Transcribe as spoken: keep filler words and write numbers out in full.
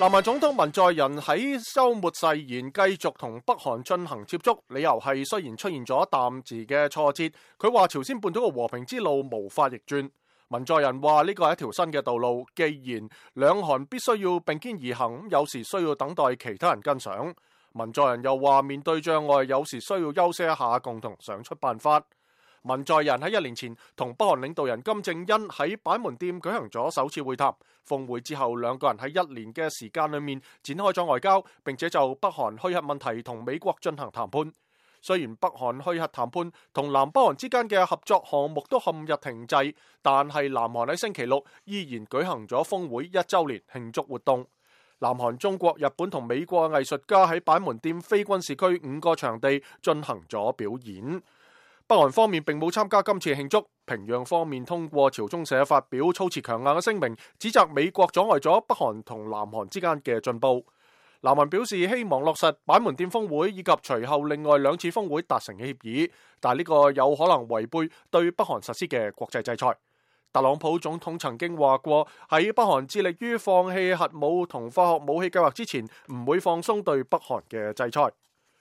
南韓總統文在寅喺週末誓言繼續同北韓進行接觸，理由係雖然出現咗暫時嘅挫折，佢話朝鮮半島嘅和平之路無法逆轉。文在寅話呢個係一條新嘅道路，既然兩韓必須要並肩而行，有時需要等待其他人跟上。文在寅又話面對障礙，有時需要休息一下，共同想出辦法。文在寅喺一年前同北韓領導人金正恩喺板門店舉行咗首次會談，峰會之後兩個人喺一年嘅時間裏面展開咗外交，並且就北韓虛核問題同美國進行談判。雖然北韓虛核談判同南北韓之間嘅合作項目都陷入停滯，但係南韓喺星期六依然舉行咗峰會一週年慶祝活動。南韓、中國、日本同美國藝術家喺板門店非軍事區五個場地進行咗表演。北韓方面並冇參加今次慶祝，平壤方面通過朝中社發表措辭強硬嘅聲明，指責美國阻礙咗北韓同南韓之間嘅進步。南韓表示希望落實板門店峰會以及隨後另外兩次峰會達成嘅協議，但呢個有可能違背對北韓實施嘅國際制裁。特朗普總統曾經話過，喺北韓致力於放棄核武同化學武器計劃之前，唔會放鬆對北韓嘅制裁。